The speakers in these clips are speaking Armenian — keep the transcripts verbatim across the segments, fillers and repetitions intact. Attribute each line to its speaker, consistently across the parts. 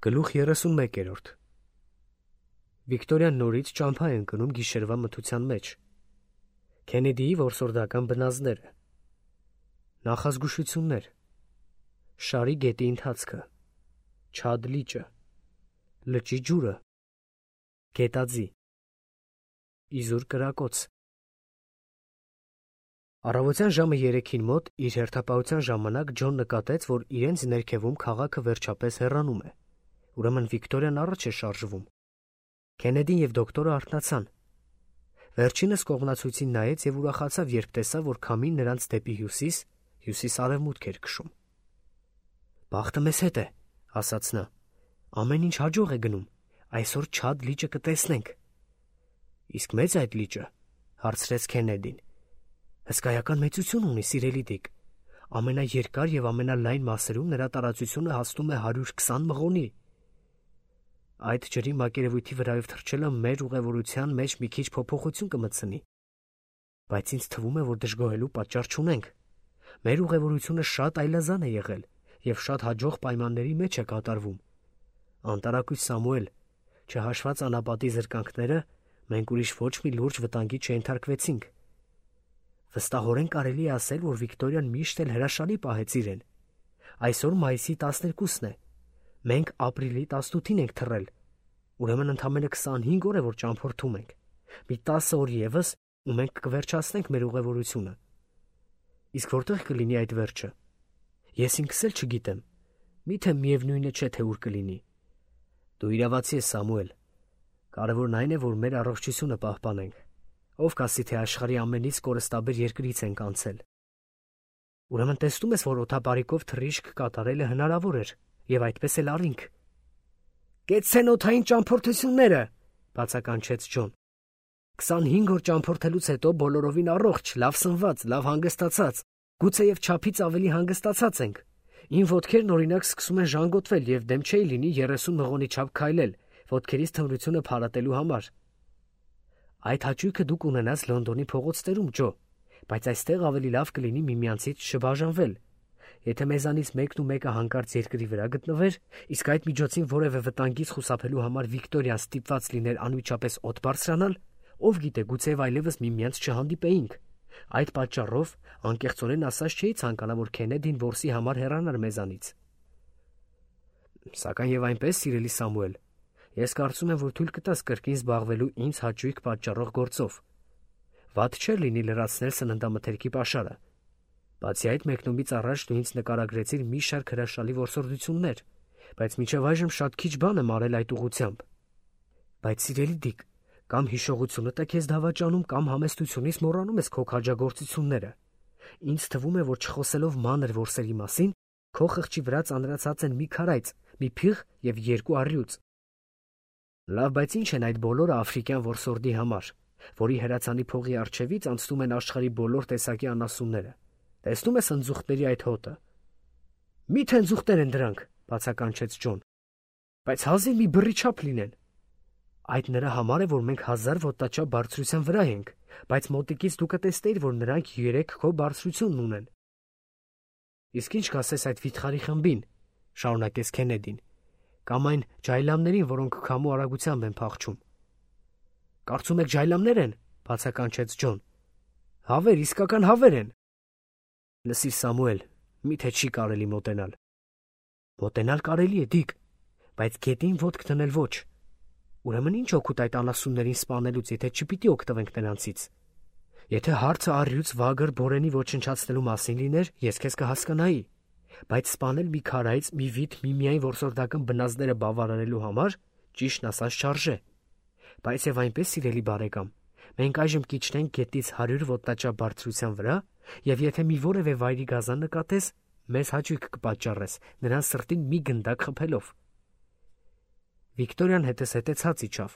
Speaker 1: Գլուխ երեսունմեկ Վիկտորիան նորից ճամփա է ընկնում գիշերվա մթության մեջ։ Քենեդիի որսորդական բնազդները, նախազգուշություններ, շարի գետի ընթացքը, Չադ լիճը, լճի ջուրը, գետաձի, իզուր կրակոց։ Առավոտյան ժամը երեքին մոտ իր հերթապահության ժամանակ Ջոն նկատեց, որ իրենց ներքևում քաղաքը վերջապես հեռանում է։ Ուրեմն Վիկտորիան առաջ է շարժվում։ Քենեդին և դոկտորը արթնացան։ Վերջինս կողմնացույցին նայեց և ուրախացավ, երբ տեսավ, որ քամին նրանց դեպի հյուսիս, հյուսիս-արևմուտք էր քշում։ «Բախտը մեզ հետ է», ասաց նա։ «Ամեն ինչ հաջող է գնում։ Այսօր Չադ լիճը կտեսնենք»։ «Իսկ մե՞ծ է այդ լիճը», հարցրեց Քենեդին։ «Հսկայական մեծություն ունի, սիրելի Դիկ։ Ամենաերկար և ամենալայն մասերում նրա տարածությունը հասնում է հարյուր քսան մղոնի։ Այդ ջրի մակերևույթի վրայով թռչելը մեր ուղևորության մեջ մի քիչ փոփոխություն կմտցնի, բայց ինձ թվում է, որ դժգոհելու պատճառ չունենք։ Մեր ուղևորությունը շատ այլազան է եղել և շատ հաջող պայմանների մեջ է կատարվում։ Անտարակույս Սամուել, չհաշված անապատի զրկանքները, մենք ուրիշ ոչ մի լուրջ վտանգի չենթարկվեցինք։ Վստահորեն կարելի է ասել, որ Վիկտորիան միշտ էլ հրաշալի պահեց իրեն։ Այսօր մայիսի տասներկուսն է։ Մենք ապրիլի տասնութին ենք թռել։ Ուրեմն ընդամենը քսանհինգ օր է, որ ճամփորդում ենք։ Մի տասը օր ևս, ու մենք կվերջացնենք մեր ուղևորությունը։ Իսկ որտեղ կլինի այդ վերջը։ Ես ինքս էլ չգիտեմ։ Միթե միևնույնը չէ, թե ուր կլինի։ Դու իրավացի ես, Սամուել։ Կարևորն այն է, որ մեր առողջությունը պահպանենք։ Ով կասի, թե աշխարհի ամենից կորստաբեր երկրից ենք անցել։ Ուրեմն տեսնում ես, որ օդապարիկով թռիչք կատարելը հնարավոր էր, և այդպես էլ արինք։ «Կեցցեն օդային ճամփորդությունները», բացականչեց Ջոն։ «Քսանհինգ օր ճամփորդելուց հետո բոլորովին առողջ, լավ սնված, լավ հանգստացած, գուցեև չափից ավելի հանգստացած ենք։ Իմ ոտքերն օրինակ սկսում են ժանգոտվել և դեմ չէի լինի երեսուն մղոնի չափ քայլել, ոտքերիս թմրությունը փարատելու համար։ Այդ հաճույքը դուք ունենաս Լոնդոնի փողոցներում, Ջո, բայց այստեղ ավելի լավ կլինի միմյանցից չբաժանվել։ Եթե մեզանից մեկն ու մեկը հանկարծ երկրի վրա գտնվեր, իսկ այդ միջոցին որևէ վտանգից խուսափելու համար Վիկտորիան ստիպված լիներ անմիջապես օդ բարձրանալ, ով գիտե, գուցեև այլևս միմյանց չհանդիպեինք։ Այդ պատճառով, անկեղծորեն ասած, չէի ցանկանա, որ Քենեդին որսի համար հեռանար մեզանից։ Սակայն եւ այնպես, սիրելի Սամուել, ես կարծում եմ, որ թույլ կտաս կրկին զբաղվելու ինձ հաճույք պատճառող գործով։ Վատ չէր լինի լրացնել սննդամթերքի պաշարը։ Բացի այդ, մեկնումից առաջ դու ինձ նկարագրեցիր մի շարք հրաշալի որսորդություններ, բայց մինչև այժմ շատ քիչ բան եմ արել այդ ուղղությամբ։ Բայց սիրելի Դիկ, կամ հիշողությունդ է քեզ դավաճանում, կամ համեստությունից մոռանում ես քո քաջագործությունները։ Ինձ թվում է, որ չխոսելով մանր որսերի մասին, քո խղճի վրա ծանրացած են մի քարայծ, մի փիղ և երկու առյուծ։ Լավ, բայց ինչ են այդ բոլորը աֆրիկյան որսորդի համար, որի հրացանի փողի առջևից անցնում են աշխարհի բոլոր տեսակի անասունները։ Տեսնում ես ընձուղտների այդ հոտը։ Մի՞թե ընձուղտեր են դրանք, բացականչեց Ջոն։ Բայց հազիվ մի բռի չափ լինեն։ Այդ նրա համար է, որ մենք հազար ոտնաչափ բարձրության վրա ենք, բայց մոտիկից դու կտեսնեիր, որ նրանք երեք քո բարձրությունն ունեն։ Իսկ ինչ կասես այդ վիթխարի խմբին, շարունակեց Քենեդին, կամ այն ջայլամներին, որոնք քամու արագությամբ են փախչում։ Կարծում եք ջայլամներ են, բացականչեց Ջոն։ Հավեր, իսկական հավեր են։ Լսիր, Սամուել, միթե չի կարելի մոտենալ։ Մոտենալ կարելի է, Դիկ, բայց գետին ոտք դնել ոչ։ Ուրեմն ինչ օգուտ այդ անասուններին սպանելուց, եթե չպիտի օգտվենք նրանցից։ Եթե հարցը առյուծ վագր բորենի ոչնչացնելու մասին լիներ, ես քեզ կհասկանայի, բայց սպանել մի քարայց, մի վիթ, միմիայն որսորդական բնազդները բավարարելու համար, ճիշտն ասած, չարժե։ Բայց եւ այնպես, սիրելի բարեկամ, մենք այժմ կիջնենք գետից հարյուր ոտնաչափ բարձրության վրա, եւ եթե մի որևէ վայրի գազան նկատես, մեզ հաճույք կպատճառես նրան սրտին մի գնդակ խփելով։ Վիկտորիան հետզհետե ցած իջավ,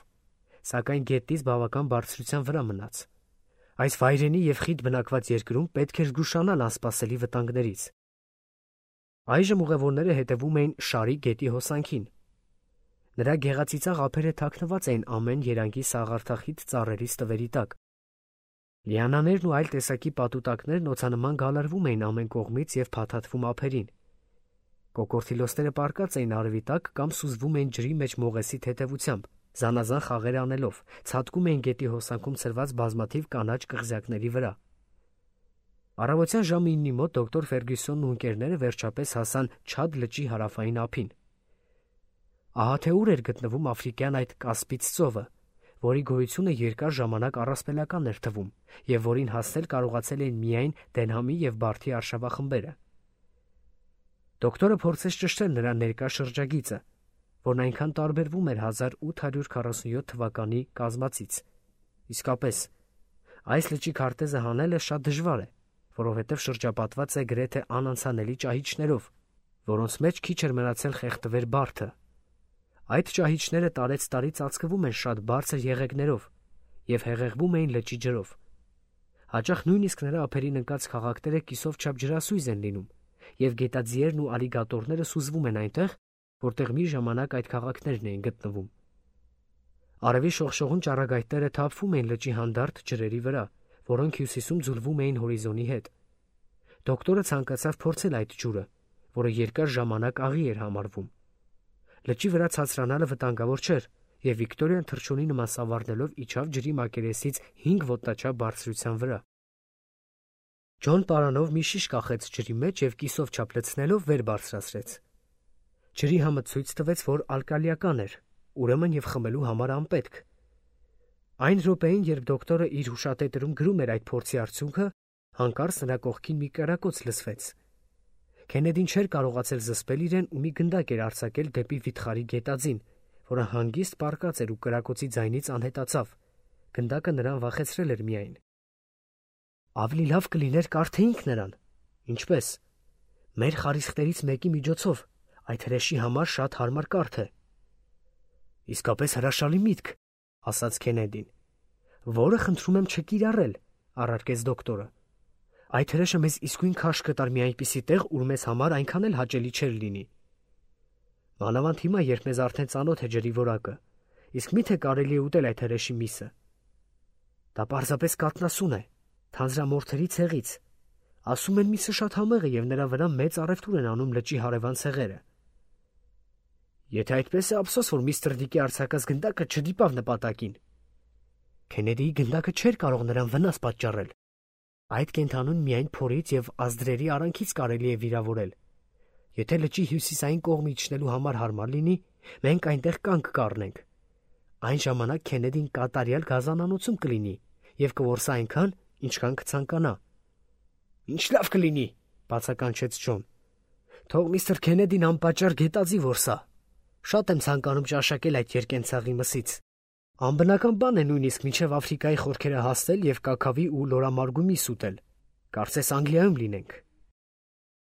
Speaker 1: սակայն գետից բավական բարձրության վրա մնաց։ Այս վայրենի և խիտ բնակված երկրում պետք էր զգուշանալ անսպասելի վտանգներից։ Այժմ ուղևորները հետևում էին Շարի գետի հոսանքին։ Նրա գեղածիծաղ ափերը թաքնված էին ամեն երանգի սաղարթախիտ ծառերի ստվերի տակ։ Լիանաներն ու այլ տեսակի պատուտակներն օձանման գալարվում էին ամեն կողմից և փաթաթվում ափերին։ Կոկորդիլոսները պառկած էին արևի տակ կամ սուզվում էին ջրի մեջ մողեսի թեթևությամբ, զանազան խաղեր անելով, ցատկում էին գետի հոսանքում ցրված բազմաթիվ կանաչ կղզյակների վրա։ Առավոտյան ժամը իննի մոտ դոկտոր Ֆերգյուսոնն ու ընկերները վերջապես հասան Չադ լճի հարավային ափին։ Ահա թե ուր էր գտնվում աֆրիկյան այդ Կասպից ծովը, որի գոյությունը երկար ժամանակ առասպելական էր թվում և որին հասնել կարողացել էին միայն Դենհամի և Բարթի արշավախմբերը։ Դոկտորը փորձեց ճշտել նրա ներկա շրջագիծը, որն այնքան տարբերվում էր հազար ութ հարյուր քառասունյոթ թվականի կազմածից։ Իսկապես, այս լճի քարտեզը հանելը շատ դժվար է, որովհետև շրջապատված է գրեթե անանցանելի ճահիճներով, որոնց մեջ քիչ էր մնացել խեղդվեր Բարթը։ Այդ ճահիճները տարեցտարի ծածկվում են շատ բարձր եղեգներով և հեղեղվում էին լճի ջրով։ Հաճախ նույնիսկ նրա ափերին ընկած քաղաքները կիսով չափ ջրասույզ են լինում, և գետաձիերն ու ալիգատորները սուզվում են այնտեղ, որտեղ մի ժամանակ այդ քաղաքներն էին գտնվում։ Արևի շողշողուն ճառագայթները թափվում էին լճի հանդարտ ջրերի վրա, որոնք հյուսիսում ձուլվում էին հորիզոնի հետ։ Դոկտորը ցանկացավ փորձել այդ ջուրը, որը երկար ժամանակ աղի էր համարվում։ Լճի վրա ցածրանալը վտանգավոր չէր, և Վիկտորիան թռչունի նման սավառնելով իջավ ջրի մակերեսից հինգ ոտնաչափ բարձրության վրա։ Ջոն պարանով մի շիշ կախեց ջրի մեջ և կիսով չափ լցնելով վեր բարձրացրեց։ Ջրի համը ցույց տվեց, որ ալկալիական էր, ուրեմն և խմելու համար անպետք։ Այն րոպեին, երբ դոկտորը իր հուշատետրում գրում էր այդ փորձի արդյունքը, հանկարծ նրա կողքին մի կրակոց լսվեց։ Քենեդին չէր կարողացել զսպել իրեն ու մի գնդակ էր արձակել դեպի վիթխարի գետաձին, որը հանգիստ պառկած էր ու կրակոցի ձայնից անհետացավ։ Գնդակը նրան վախեցրել էր միայն։ Ավելի լավ կլիներ կարդեինք նրան։ Ինչպես։ Մեր խարիսխներից մեկի միջոցով, այդ հրեշի համար շատ հարմար կարդ է։ Իսկապես հրաշալի միտք, ասաց Քենեդին։ Որը խնդրում եմ չկիրառել, առարկեց դոկտորը։ Այդ հրեշը մեզ իսկույն քարշ կտար մի այնպիսի տեղ, ուր մեզ համար այնքան էլ հաճելի չէր լինի։ Մանավանդ հիմա, երբ մեզ արդեն ծանոթ է ջրի որակը, իսկ մի՞թե կարելի է ուտել այդ հրեշի միսը։ Դա պարզապես կաթնասուն է, թանձրամորթերի ցեղից։ Ասում են միսը շատ համեղ է և նրա վրա մեծ առևտուր են անում լճի հարևան ցեղերը։ Եթե այդպես է, ափսոս, որ միստր Դիկի արձակած գնդակը չդիպավ նպատակին։ Քենեդիի գնդակը չէր կարող նրան վնաս պատճառել։ Այդ կենդանուն միայն փորից և ազդրերի արանքից կարելի է վիրավորել։ Եթե լճի հյուսիսային կողմը իջնելու համար հարմար լինի, մենք այնտեղ կանգ կառնենք։ Այն ժամանակ Քենեդին կատարյալ գազանանոցում կլինի և կորսա այնքան, ինչքան կցանկանա։ Ինչ լավ կլինի, բացականչեց Ջոն։ Թող միստր Քենեդին անպատճառ գետաձի որսա։ Շատ եմ ցանկանում ճաշակել այդ երկենցաղի մսից։ Անբնական բան է նույնիսկ մինչև Աֆրիկայի խորքերը հասնել և կաքավի ու լորամարգու միս ուտել։ Կարծես Անգլիայում լինենք։